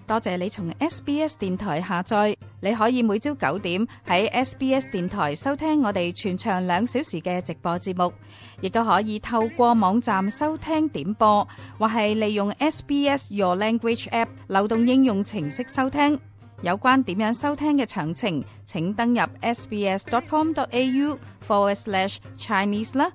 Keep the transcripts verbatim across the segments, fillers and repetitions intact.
多謝你從 S B S 電台下載，你可以每朝九點喺 S B S 電台收聽我哋全長兩小時嘅直播節目，亦都可以透過網站收聽點播，或係利用 S B S Your Language App 流動應用程式收聽。有關點樣收聽嘅詳情，請登入 sbs.com.au forward slash Chinese 啦。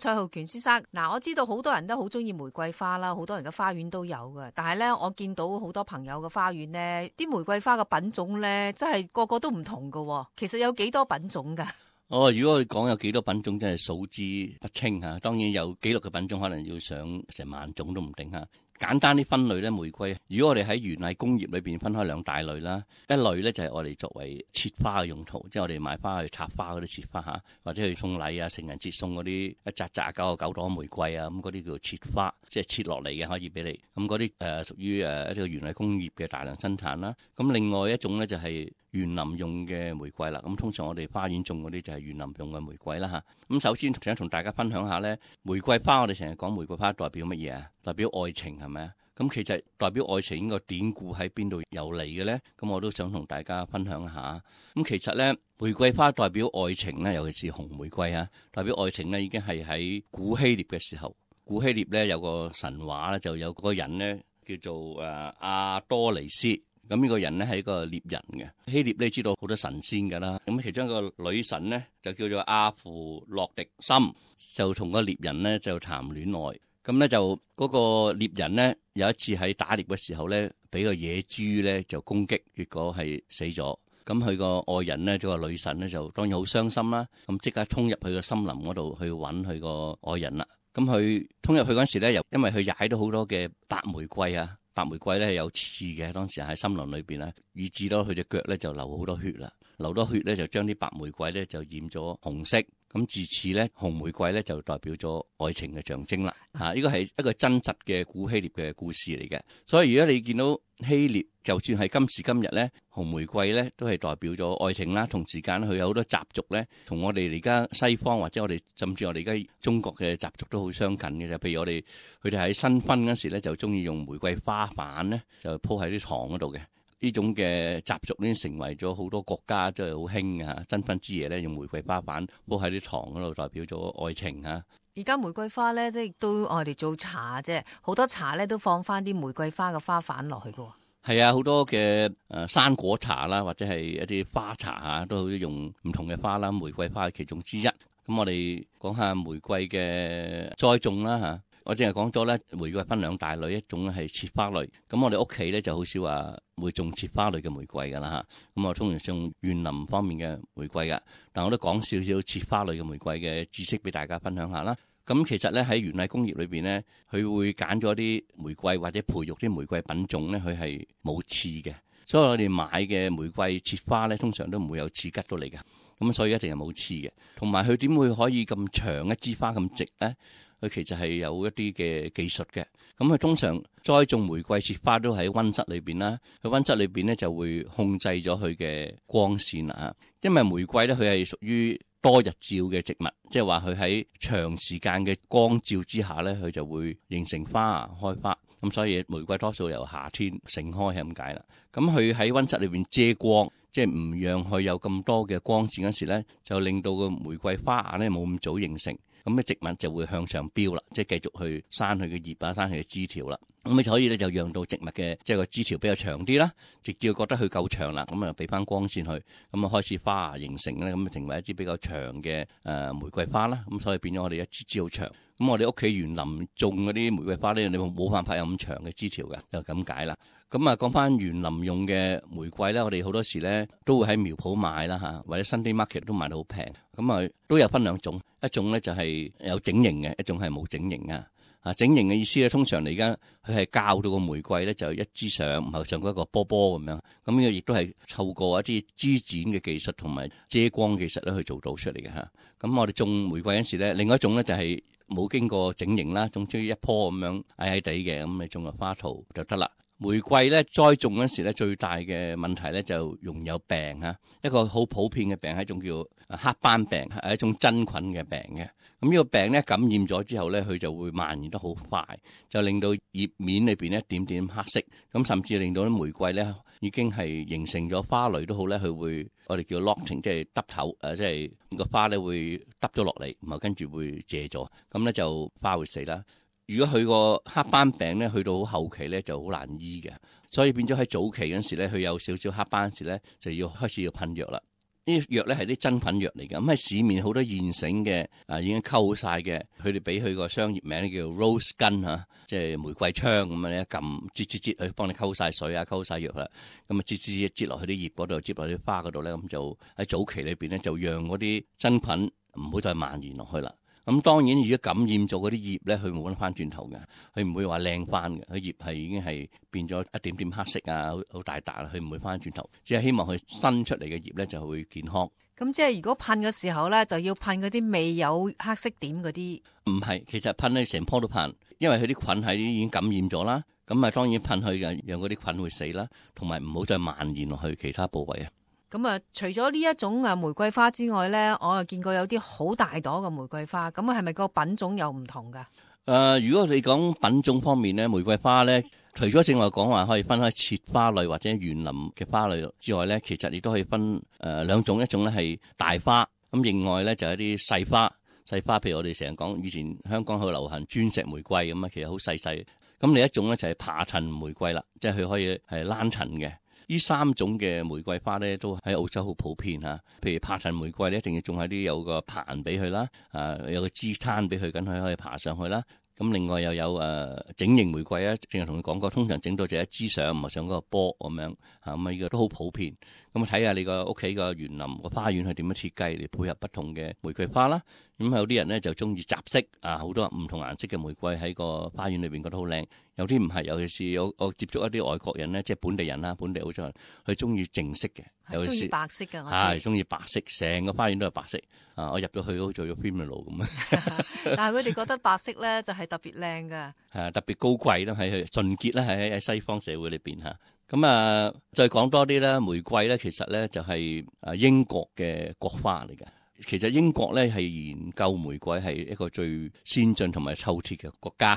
蔡浩權先生，嗱，我知道好多人都好中意玫瑰花啦，好多人嘅花園都有嘅。但係咧，我見到好多朋友嘅花園咧，啲玫瑰花嘅品種咧，真係個個都唔同㗎。其實有幾多品種㗎？哦，如果我哋講有幾多品種，真係數之不清嚇。當然有紀錄嘅品種，可能要上成萬種都唔定嚇。簡單啲分類咧，玫瑰，如果我哋喺園藝工業裏邊分開兩大類啦，一類咧就係我哋作為切花嘅用途，即係我哋買花去插花嗰啲切花嚇，或者去送禮啊、成人節送嗰啲一紮紮九個九朵玫瑰啊，咁嗰啲叫做切花，即係切落嚟嘅可以俾你。咁嗰啲誒屬於誒一個園藝工業嘅大量生產啦。咁另外一種咧就係園林用嘅玫瑰啦。咁通常我哋花園種嗰啲就係園林用嘅玫瑰啦嚇。咁首先想同大家分享下咧，玫瑰花我哋成日講玫瑰花代表乜嘢啊？代表愛情係咪啊？咁其實代表愛情呢個典故喺邊度由嚟嘅咧？咁我都想同大家分享下。咁其實咧，玫瑰花代表愛情咧，尤其是紅玫瑰啊，代表愛情咧，已經係喺古希臘嘅時候。古希臘咧有個神話咧，就有個人咧叫做誒阿多尼斯。咁呢個人咧係一個獵人嘅。希臘咧知道好多神仙㗎啦。咁其中一個女神咧就叫做阿芙洛狄森，就同個獵人咧就談戀愛。咁咧就嗰個獵人咧有一次喺打獵嘅時候咧，俾個野豬咧就攻擊，結果係死咗。咁佢個愛人咧，即係個女神咧，就當然好傷心啦。咁即刻衝入去個森林嗰度去揾佢個愛人啦。咁佢衝入去嗰時咧，又因為佢踩到好多嘅白玫瑰啊，白玫瑰咧係有刺嘅，當時喺森林裏邊咧，以致到佢隻腳咧就流好多血啦。流多血咧就將啲白玫瑰咧就染咗紅色。咁自此咧，紅玫瑰咧就代表咗愛情嘅象徵啦。嚇，呢個係一個真實嘅古希臘嘅故事嚟嘅。所以如果你見到希臘，就算係今時今日咧，紅玫瑰咧都係代表咗愛情啦。同時間佢有好多習俗咧，同我哋而家西方或者我哋甚至我哋而家中國嘅習俗都好相近嘅。就譬如我哋佢哋喺新婚嗰時咧，就中意用玫瑰花瓣咧，就鋪喺啲床嗰度嘅。呢種嘅習俗呢，成為咗好多國家都係好興嘅嚇。新婚之夜咧，用玫瑰花瓣鋪喺啲床嗰度，代表咗愛情嚇。而家玫瑰花咧，即係都我哋做茶啫，好多茶咧都放翻啲玫瑰花嘅花瓣落去嘅。係啊，好多嘅誒生果茶啦，或者係一啲花茶嚇，都好用唔同嘅花啦。玫瑰花係其中之一。咁我哋講下玫瑰嘅栽種啦嚇。我淨係講咗咧，玫瑰分兩大類，一種係切花類。咁我哋屋企咧就好少話會種切花類嘅玫瑰噶啦嚇。咁我通常種園林方面嘅玫瑰噶。但我都講少少切花類嘅玫瑰嘅知識俾大家分享下啦。咁其實咧喺園藝工業裏邊咧，佢會揀咗啲玫瑰或者培育啲玫瑰品種咧，佢係冇刺嘅。所以我哋買嘅玫瑰切花咧，通常都唔會有刺吉到嚟㗎。咁所以一定係冇刺嘅。同埋佢點會可以咁長一支花咁直咧？佢其實係有一啲嘅技術嘅。咁佢通常栽種玫瑰切花都喺溫室裏邊啦。佢溫室裏邊咧就會控制咗佢嘅光線啦嚇。因為玫瑰咧佢係屬於多日照嘅植物，即係話佢喺長時間嘅光照之下咧，佢就會形成花開花。咁所以玫瑰多數由夏天盛開係咁解啦。咁佢喺溫室裏邊遮光，即係唔讓佢有咁多嘅光線嗰時咧，就令到個玫瑰花芽咧冇咁早形成。咁嘅植物就會向上飆啦，即係繼續去生佢嘅葉啊，生佢嘅枝條啦。咁所以咧就讓到植物嘅即係個枝條比較長啲啦，直至覺得佢夠長啦，咁啊俾翻光線去，咁啊開始花芽形成咧，咁啊成為一支比較長嘅誒玫瑰花啦。咁所以變咗我哋一支枝好長。咁我哋屋企園林種嗰啲玫瑰花咧，你冇辦法有咁長嘅枝條嘅，就咁解啦。咁啊講翻園林用嘅玫瑰咧，我哋好多時咧都會喺苗圃買啦嚇，或者 Sunday Market 都買到好平。咁啊都有分兩種，一種咧就係有整形嘅，一種係冇整形啊。啊，整形嘅意思咧，通常嚟而家佢係教到個玫瑰咧，就一支上，唔係上嗰一個波波咁樣。咁呢個亦都係透過一啲枝剪嘅技術同埋遮光技術咧去做到出嚟嘅嚇。咁我哋種玫瑰嗰陣時咧，另外一種咧就係冇經過整形啦，種出一棵咁樣矮矮地嘅，咁你種個花圖就得啦。玫瑰咧栽種嗰時咧最大嘅問題咧就容易有病啊，一個好普遍嘅病係一種叫黑斑病，係一種真菌嘅病嘅。咁呢個病咧感染咗之後咧，佢就會蔓延得好快，就令到葉面裏邊一點點黑色，咁甚至令到啲玫瑰咧已經係形成咗花蕾都好咧，佢會我哋叫 locking， 即係耷頭，誒即係個花咧會耷咗落嚟，然後跟住會謝咗，咁咧就花會死啦。如果佢個黑斑病咧去到好後期咧就好難醫嘅，所以變咗喺早期嗰時咧，佢有少少黑斑時咧就要開始要噴藥啦。呢啲藥咧係啲真菌藥嚟嘅，咁喺市面好多現成嘅啊已經溝好晒嘅，佢哋俾佢個商業名叫 rose 根嚇，即係玫瑰槍咁樣咧，撳擠擠擠去幫你溝晒水啊，溝晒藥啦，咁啊擠擠擠落去啲葉嗰度，擠落啲花嗰度咧，咁就喺早期裏邊咧就讓嗰啲真菌唔好再蔓延落去啦。咁當然，如果感染咗嗰啲葉咧，佢冇得翻轉頭嘅，佢唔會話靚翻嘅。佢葉係已經係變咗一點點黑色啊，好好大笪啦，佢唔會翻轉頭。只係希望佢新出嚟嘅葉咧就會健康。咁即係如果噴嘅時候咧，就要噴嗰啲未有黑色點嗰啲。唔係，其實噴咧成棵都噴，因為佢啲菌喺已經感染咗啦。咁啊，當然噴去嘅，讓嗰啲菌會死啦，同埋唔好再蔓延落去其他部位啊。咁啊，除咗呢一種啊玫瑰花之外咧，我又見過有啲好大朵嘅玫瑰花，咁啊係咪個品種又唔同噶？誒、呃，如果你講品種方面咧，玫瑰花咧，除咗正話講話可以分開切花類或者園林嘅花類之外咧，其實亦都可以分誒、呃、兩種，一種咧係大花，咁另外咧就係一啲細花。細花譬如我哋成日講，以前香港好流行鑽石玫瑰咁啊，其實好細細。咁另一種咧就係爬藤玫瑰啦，即係佢可以係躝層嘅。呢三種嘅玫瑰花咧，都喺澳洲好普遍嚇。譬如爬藤玫瑰咧，一定要種喺啲有個棚俾佢啦，啊有個支撐俾佢，咁佢可以爬上去啦。咁另外又有誒、呃、整形玫瑰啊，正係同你講過，通常整到就一支上，唔係上嗰個波咁樣嚇，咁啊呢個都好普遍。咁啊睇下你個屋企個園林個花園係點樣設計嚟配合不同嘅玫瑰花啦。咁有啲人咧就中意雜色啊，好多唔同顏色嘅玫瑰喺個花園裏邊覺得好靚。有啲唔係，尤其是我我接觸一啲外國人咧，即係本地人啦，本地澳洲人，佢中意淨色嘅，係中意白色嘅，我知係中意白色，成個花園都係白色啊！我入咗去好似做咗 funeral 咁啊！但係佢哋覺得白色咧就係特別靚㗎，係特別高貴啦，係純潔啦，係喺西方社會裏邊嚇。咁啊，再講多啲啦，玫瑰咧其實咧就係啊英國嘅國花嚟嘅。其實英國咧係研究玫瑰係一個最先進同埋透徹嘅國家。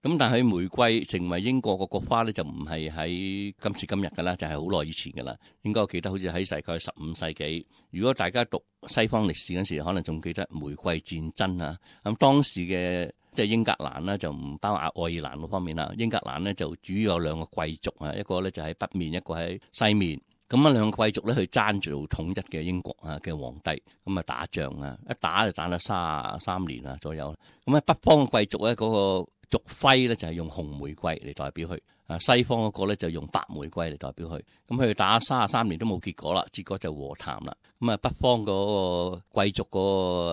咁但係玫瑰成為英國個國花咧，就唔係喺今時今日噶啦，就係好耐以前噶啦。應該我記得好似喺大概十五世紀。如果大家讀西方歷史嗰時，可能仲記得玫瑰戰爭啊。咁當時嘅即係英格蘭啦，就唔包括愛爾蘭嗰方面啦。英格蘭咧就主要有兩個貴族啊，一個咧就喺北面，一個喺西面。咁啊兩個貴族咧去爭住統一嘅英國啊嘅皇帝，咁啊打仗啊，一打就打咗三十三年啊左右。咁喺北方嘅貴族咧嗰個族徽咧就係用紅玫瑰嚟代表佢，啊西方嗰個咧就用白玫瑰嚟代表佢。咁佢打三十三年都冇結果啦，結果就和談啦。咁啊北方嗰個貴族嗰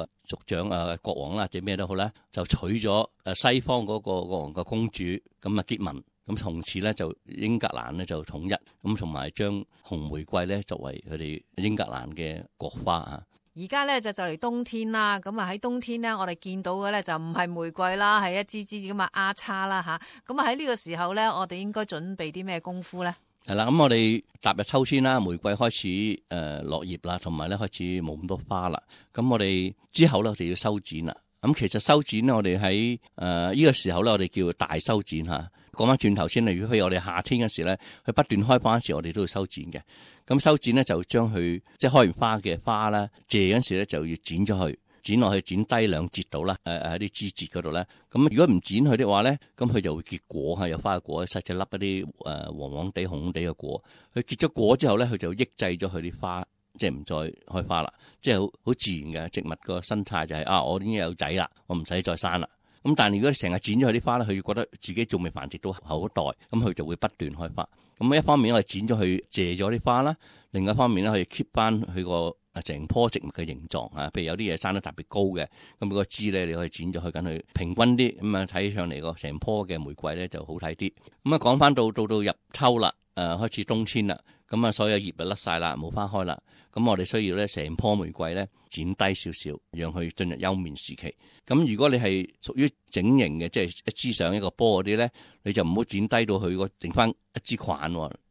個族長啊國王啦，或者咩都好啦，就娶咗誒西方嗰個國王嘅公主，咁啊結盟。咁從此咧就英格蘭咧就統一，咁同埋將紅玫瑰咧作為佢哋英格蘭嘅國花啊。而家咧就就嚟冬天啦，咁啊喺冬天咧，我哋見到嘅咧就唔係玫瑰啦，係一支支咁啊丫叉啦吓。咁啊喺呢個時候咧，我哋應該準備啲咩功夫咧？係啦，咁我哋踏入秋天啦，玫瑰開始誒落葉啦，同埋咧開始冇咁多花啦。咁我哋之後咧，我哋要修剪啦。咁其實修剪咧，我哋喺誒呢個時候咧，我哋叫大修剪吓。講翻轉頭先，例如譬如我哋夏天嗰時咧，佢不斷開花嗰時，我哋都要修剪嘅。咁修剪咧就將佢即係開完花嘅花啦，謝嗰時咧就要剪咗佢，剪落去剪低兩節度啦。誒喺啲枝節嗰度咧，咁如果唔剪佢的話咧，咁佢就會結果嚇，有花嘅果，細細粒一啲誒黃黃地、紅紅地嘅果。佢結咗果之後咧，佢就抑制咗佢啲花，即係唔再開花啦。即係好好自然嘅植物個生態就係、是、啊，我已經有仔啦，我唔使再生啦。咁但係如果你成日剪咗佢啲花咧，佢覺得自己仲未繁殖到後一代，咁佢就會不斷開花。咁一方面我哋剪咗佢謝咗啲花啦，另外一方面咧可以 keep 翻佢個啊成棵植物嘅形狀啊。譬如有啲嘢生得特別高嘅，咁個枝咧你可以剪咗去緊佢平均啲，咁啊睇上嚟個成棵嘅玫瑰咧就好睇啲。咁啊講翻到到到入秋啦，誒、啊、開始冬天啦，咁啊所有葉就甩晒啦，冇花開啦。咁我哋需要咧成棵玫瑰咧剪低少少，讓佢進入休眠時期。咁如果你係屬於整形嘅，即係一支上一個波嗰啲咧，你就唔好剪低到佢個剩翻一支菌，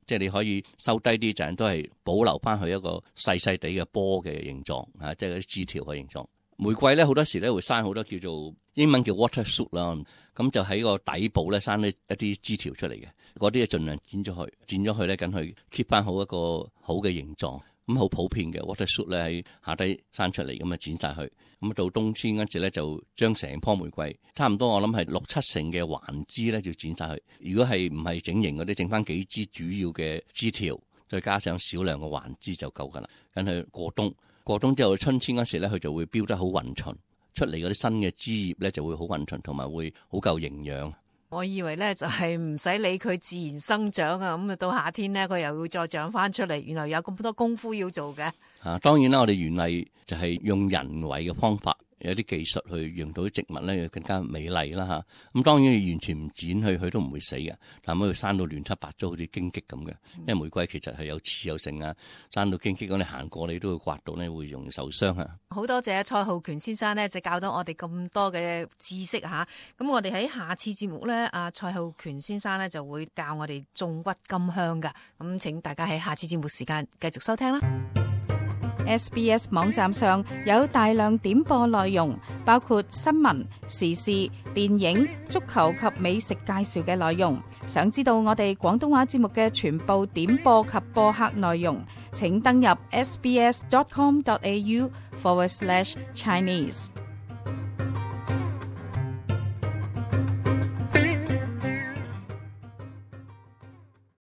即係你可以收低啲，就係都係保留翻佢一個細細地嘅波嘅形狀啊，即係嗰啲枝條嘅形狀。玫瑰咧好多時咧會生好多叫做英文叫 water shoot 啦，咁就喺個底部咧生一一啲枝條出嚟嘅，嗰啲就盡量剪咗佢，剪咗佢咧緊去 keep 翻好一個好嘅形狀。咁好普遍嘅 water shoot 咧喺下低生出嚟，咁啊剪晒佢。咁到冬天嗰陣咧就將成棵玫瑰差唔多，我諗係六七成嘅環枝咧就剪晒佢。如果係唔係整形嗰啲，剩翻幾支主要嘅枝條，再加上少量嘅環枝就夠噶啦。咁佢過冬，過冬之後春天嗰時咧，佢就會飆得好勻循，出嚟嗰啲新嘅枝葉咧就會好勻循，同埋會好夠營養。我以為咧就係唔使理佢自然生長啊，咁啊到夏天咧佢又會再長翻出嚟，原來有咁多功夫要做嘅。啊，當然啦，我哋園藝就係用人為嘅方法，有啲技術去讓到啲植物咧更加美麗啦嚇。咁當然你完全唔剪佢，佢都唔會死嘅。但係佢生到亂七八糟，好似荊棘咁嘅。因為玫瑰其實係有刺有性啊，生到荊棘咁，你行過你都會刮到咧，會容易受傷啊。好多謝蔡浩權先生咧，就教到我哋咁多嘅知識嚇。咁我哋喺下次節目咧，阿蔡浩權先生咧就會教我哋種鬱金香噶。咁請大家喺下次節目時間繼續收聽啦。S B S 網站上有大量點播內容，包括新聞、時事、電影、足球及美食介紹嘅內容。想知道我哋廣東話節目嘅全部點播及播客內容，請登入 sbs dot com dot a u forward slash Chinese。